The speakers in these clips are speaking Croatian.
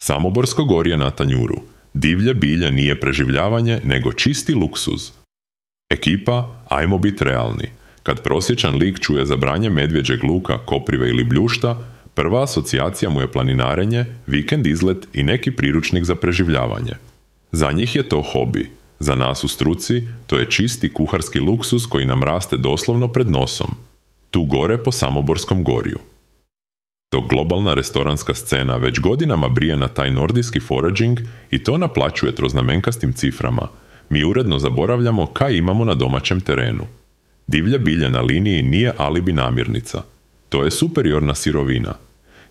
Samoborsko gorje na tanjuru. Divlje bilje nije preživljavanje, nego čisti luksuz. Ekipa, ajmo biti realni. Kad prosječan lik čuje za branje medvjeđeg luka, koprive ili bljušta, prva asocijacija mu je planinarenje, vikend izlet i neki priručnik za preživljavanje. Za njih je to hobi. Za nas u struci to je čisti kuharski luksuz koji nam raste doslovno pred nosom. Tu gore po Samoborskom gorju. Dok globalna restoranska scena već godinama brije na taj nordijski foraging i to naplaćuje troznamenkastim ciframa, mi uredno zaboravljamo kaj imamo na domaćem terenu. Divlje bilje na liniji nije alibi namirnica. To je superiorna sirovina.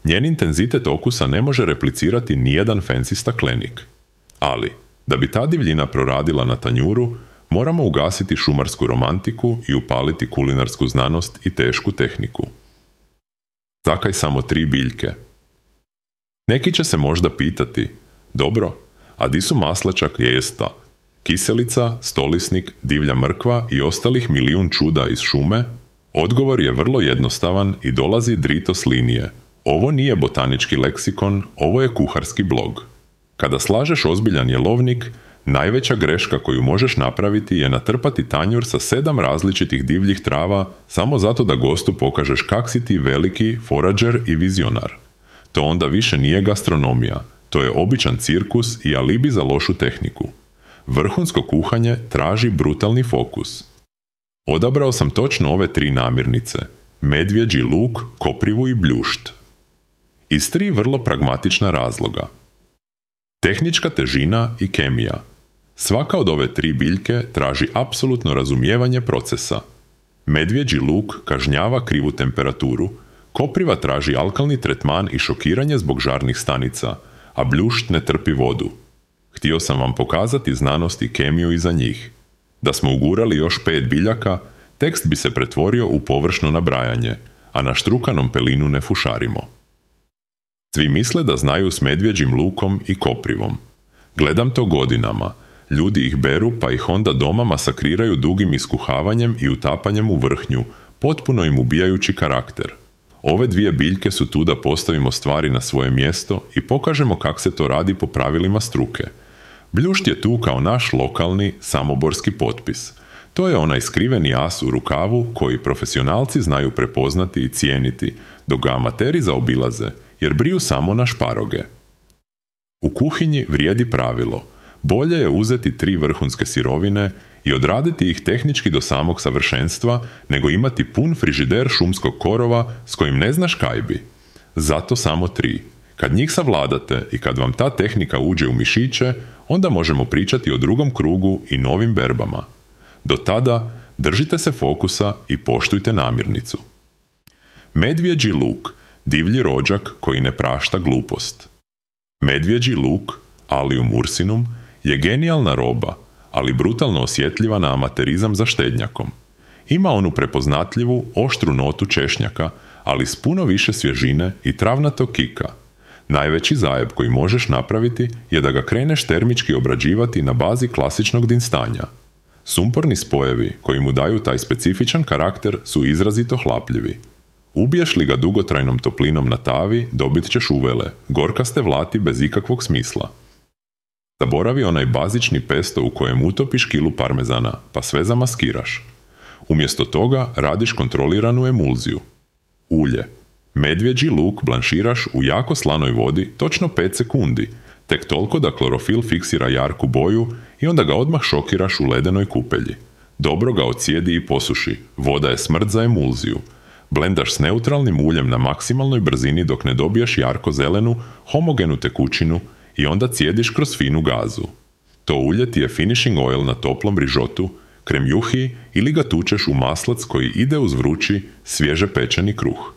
Njen intenzitet okusa ne može replicirati nijedan fancy staklenik. Ali, da bi ta divljina proradila na tanjuru, moramo ugasiti šumarsku romantiku i upaliti kulinarsku znanost i tešku tehniku. Zakaj samo 3 biljke? Neki će se možda pitati, dobro, a di su maslačak, jesta, kiselica, stolisnik, divlja mrkva i ostalih milijun čuda iz šume? Odgovor je vrlo jednostavan i dolazi drito s linije. Ovo nije botanički leksikon, ovo je kuharski blog. Kada slažeš ozbiljan jelovnik, najveća greška koju možeš napraviti je natrpati tanjur sa 7 različitih divljih trava samo zato da gostu pokažeš kak si ti veliki forađer i vizionar. To onda više nije gastronomija, to je običan cirkus i alibi za lošu tehniku. Vrhunsko kuhanje traži brutalni fokus. Odabrao sam točno ove 3 namirnice, medvjeđi luk, koprivu i bljušt. Iz 3 vrlo pragmatična razloga. Tehnička težina i kemija. Svaka od ove 3 biljke traži apsolutno razumijevanje procesa. Medvjeđi luk kažnjava krivu temperaturu, kopriva traži alkalni tretman i šokiranje zbog žarnih stanica, a bljušt ne trpi vodu. Htio sam vam pokazati znanost i kemiju iza njih. Da smo ugurali još 5 biljaka, tekst bi se pretvorio u površno nabrajanje, a na štrukanom pelinu ne fušarimo. Svi misle da znaju s medvjeđim lukom i koprivom. Gledam to godinama. Ljudi ih beru pa ih onda doma masakriraju dugim iskuhavanjem i utapanjem u vrhnju, potpuno im ubijajući karakter. Ove 2 biljke su tu da postavimo stvari na svoje mjesto i pokažemo kako se to radi po pravilima struke. Bljušt je tu kao naš lokalni samoborski potpis. To je onaj skriveni as u rukavu koji profesionalci znaju prepoznati i cijeniti, dok ga amateri zaobilaze, jer briju samo na šparoge. U kuhinji vrijedi pravilo. Bolje je uzeti 3 vrhunske sirovine i odraditi ih tehnički do samog savršenstva, nego imati pun frižider šumskog korova s kojim ne znaš kaj bi. Zato samo 3. Kad njih savladate i kad vam ta tehnika uđe u mišiće, onda možemo pričati o drugom krugu i novim berbama. Do tada držite se fokusa i poštujte namirnicu. Medvjeđi luk, divlji rođak koji ne prašta glupost. Medvjeđi luk, Allium ursinum, je genijalna roba, ali brutalno osjetljiva na amaterizam za štednjakom. Ima onu prepoznatljivu, oštru notu češnjaka, ali s puno više svježine i travnatog kika. Najveći zajeb koji možeš napraviti je da ga kreneš termički obrađivati na bazi klasičnog dinstanja. Sumporni spojevi koji mu daju taj specifičan karakter su izrazito hlapljivi. Ubiješ li ga dugotrajnom toplinom na tavi, dobit ćeš uvele, gorkaste vlati bez ikakvog smisla. Zaboravi onaj bazični pesto u kojem utopiš kilu parmezana, pa sve zamaskiraš. Umjesto toga radiš kontroliranu emulziju. Ulje. Medvjeđi luk blanširaš u jako slanoj vodi točno 5 sekundi, tek toliko da klorofil fiksira jarku boju i onda ga odmah šokiraš u ledenoj kupelji. Dobro ga ocijedi i posuši, voda je smrt za emulziju. Blendaš s neutralnim uljem na maksimalnoj brzini dok ne dobiješ jarko-zelenu, homogenu tekućinu i onda cijediš kroz finu gazu. To ulje ti je finishing oil na toplom rižotu, krem juhi ili ga tučeš u maslac koji ide uz vrući, svježe pečeni kruh.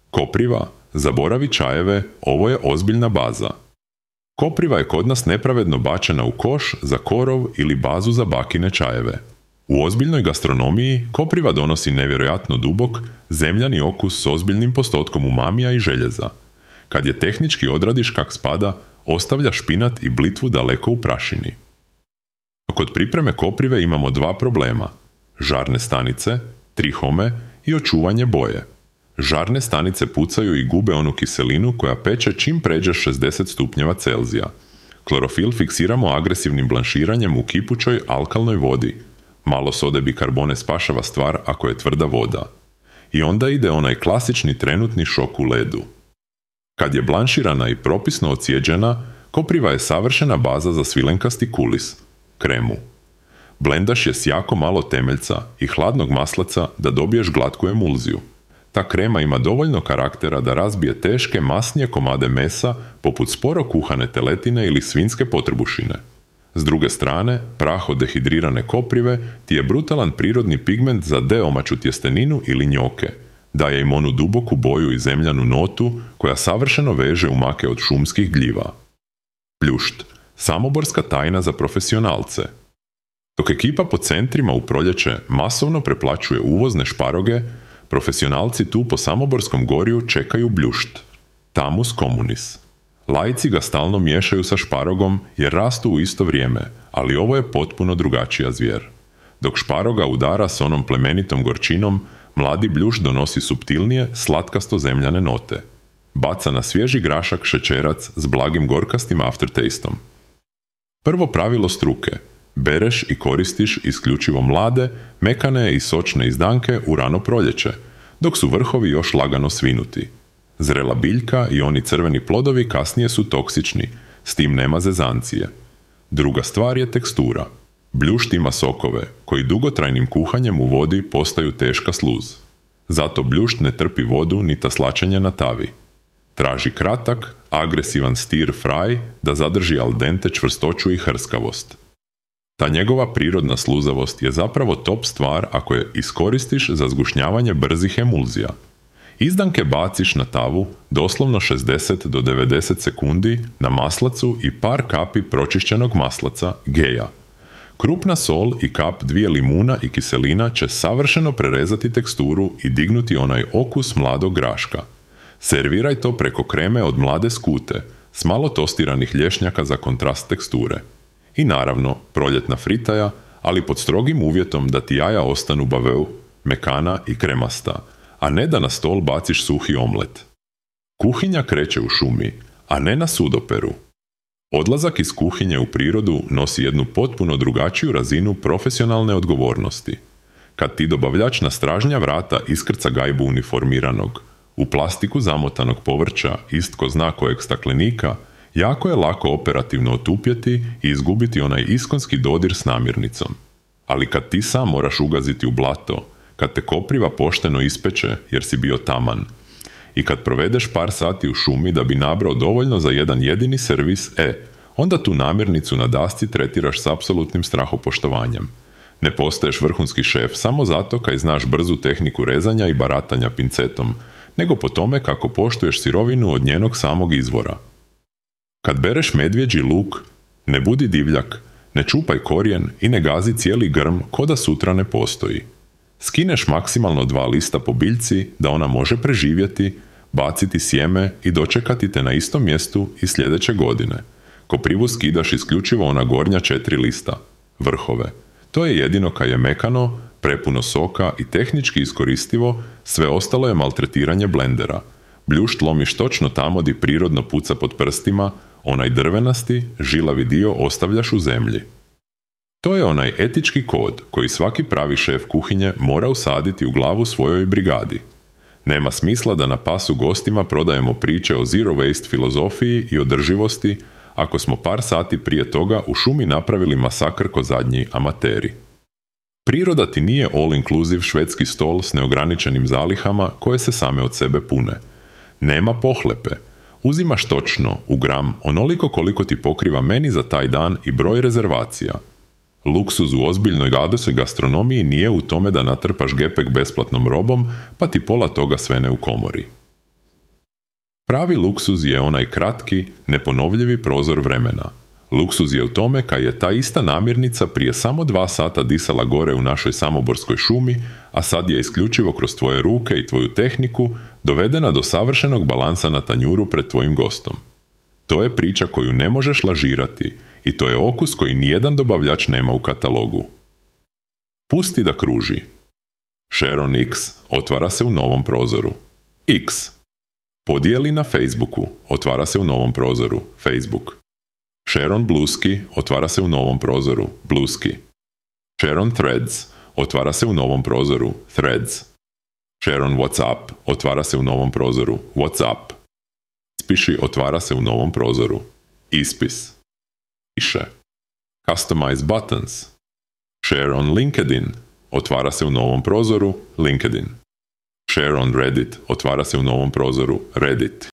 Kopriva, zaboravi čajeve, ovo je ozbiljna baza. Kopriva je kod nas nepravedno bačena u koš za korov ili bazu za bakine čajeve. U ozbiljnoj gastronomiji kopriva donosi nevjerojatno dubok, zemljani okus s ozbiljnim postotkom umamija i željeza. Kad je tehnički odradiš kak spada, ostavlja špinat i blitvu daleko u prašini. Kod pripreme koprive imamo 2 problema. Žarne stanice, trihome i očuvanje boje. Žarne stanice pucaju i gube onu kiselinu koja peče čim pređe 60 stupnjeva Celzija. Klorofil fiksiramo agresivnim blanširanjem u kipućoj alkalnoj vodi. Malo sode bikarbone spašava stvar ako je tvrda voda. I onda ide onaj klasični trenutni šok u ledu. Kad je blanširana i propisno ocijeđena, kopriva je savršena baza za svilenkasti kulis, kremu. Blendaš je s jako malo temeljca i hladnog maslaca da dobiješ glatku emulziju. Ta krema ima dovoljno karaktera da razbije teške, masnije komade mesa poput sporo kuhane teletine ili svinjske potrbušine. S druge strane, prah od dehidrirane koprive ti je brutalan prirodni pigment za deomaću tjesteninu ili njoke. Daje im onu duboku boju i zemljanu notu koja savršeno veže umake od šumskih gljiva. Pljušt, samoborska tajna za profesionalce. Dok ekipa po centrima u proljeće masovno preplaćuje uvozne šparoge, profesionalci tu po Samoborskom gorju čekaju bljušt, Tamus communis. Laici ga stalno miješaju sa šparogom jer rastu u isto vrijeme, ali ovo je potpuno drugačija zvijer. Dok šparoga udara s onom plemenitom gorčinom, mladi bljušt donosi suptilnije, slatkasto zemljane note. Baca na svježi grašak šećerac s blagim gorkastim aftertastom. Prvo pravilo struke. Bereš i koristiš isključivo mlade, mekane i sočne izdanke u rano proljeće, dok su vrhovi još lagano svinuti. Zrela biljka i oni crveni plodovi kasnije su toksični, s tim nema zezancije. Druga stvar je tekstura. Bljušt ima sokove, koji dugotrajnim kuhanjem u vodi postaju teška sluz. Zato bljušt ne trpi vodu ni taslačenje na tavi. Traži kratak, agresivan stir fry da zadrži al dente čvrstoću i hrskavost. Ta njegova prirodna sluzavost je zapravo top stvar ako je iskoristiš za zgušnjavanje brzih emulzija. Izdanke baciš na tavu doslovno 60 do 90 sekundi na maslacu i par kapi pročišćenog maslaca, geja. Krupna sol i kap 2 limuna i kiselina će savršeno prerezati teksturu i dignuti onaj okus mladog graška. Serviraj to preko kreme od mlade skute, s malo tostiranih lješnjaka za kontrast teksture. I naravno, proljetna fritaja, ali pod strogim uvjetom da ti jaja ostanu baveu, mekana i kremasta, a ne da na stol baciš suhi omlet. Kuhinja kreće u šumi, a ne na sudoperu. Odlazak iz kuhinje u prirodu nosi jednu potpuno drugačiju razinu profesionalne odgovornosti. Kad ti dobavljač na stražnja vrata iskrca gajbu uniformiranog, u plastiku zamotanog povrća ist ko zna kojeg staklenika, jako je lako operativno otupjeti i izgubiti onaj iskonski dodir s namirnicom. Ali kad ti sam moraš ugaziti u blato, kad te kopriva pošteno ispeče jer si bio taman, i kad provedeš par sati u šumi da bi nabrao dovoljno za jedan jedini servis, onda tu namirnicu na dasci tretiraš s apsolutnim strahopoštovanjem. Ne postaješ vrhunski šef samo zato kaj znaš brzu tehniku rezanja i baratanja pincetom, nego po tome kako poštuješ sirovinu od njenog samog izvora. Kad bereš medvjeđi luk, ne budi divljak, ne čupaj korijen i ne gazi cijeli grm ko da sutra ne postoji. Skineš maksimalno 2 lista po biljci da ona može preživjeti, baciti sjeme i dočekati te na istom mjestu i sljedeće godine. Koprivu skidaš isključivo ona gornja 4 lista, vrhove. To je jedino kaj je mekano, prepuno soka i tehnički iskoristivo, sve ostalo je maltretiranje blendera. Bljušt lomiš točno tamo di prirodno puca pod prstima, onaj drvenasti, žilavi dio ostavljaš u zemlji. To je onaj etički kod koji svaki pravi šef kuhinje mora usaditi u glavu svojoj brigadi. Nema smisla da na pasu gostima prodajemo priče o zero waste filozofiji i održivosti ako smo par sati prije toga u šumi napravili masakr ko zadnji amateri. Priroda ti nije all-inclusive švedski stol s neograničenim zalihama koje se same od sebe pune. Nema pohlepe. Uzimaš točno, u gram, onoliko koliko ti pokriva meni za taj dan i broj rezervacija. Luksuz u ozbiljnoj gadosoj gastronomiji nije u tome da natrpaš gepek besplatnom robom, pa ti pola toga svene u komori. Pravi luksuz je onaj kratki, neponovljivi prozor vremena. Luksuz je u tome kaj je ta ista namirnica prije samo 2 sata disala gore u našoj samoborskoj šumi, a sad je isključivo kroz tvoje ruke i tvoju tehniku dovedena do savršenog balansa na tanjuru pred tvojim gostom. To je priča koju ne možeš lažirati i to je okus koji nijedan dobavljač nema u katalogu. Pusti da kruži. Sharon X otvara se u novom prozoru. X. Podijeli na Facebooku, otvara se u novom prozoru, Facebook. Share on Bluesky, otvara se u novom prozoru, Bluesky. Share on Threads, otvara se u novom prozoru, Threads. Share on WhatsApp, otvara se u novom prozoru, WhatsApp. Ispiši, otvara se u novom prozoru, Ispis. Piše. Customize buttons. Share on LinkedIn, otvara se u novom prozoru, LinkedIn. Share on Reddit, otvara se u novom prozoru, Reddit.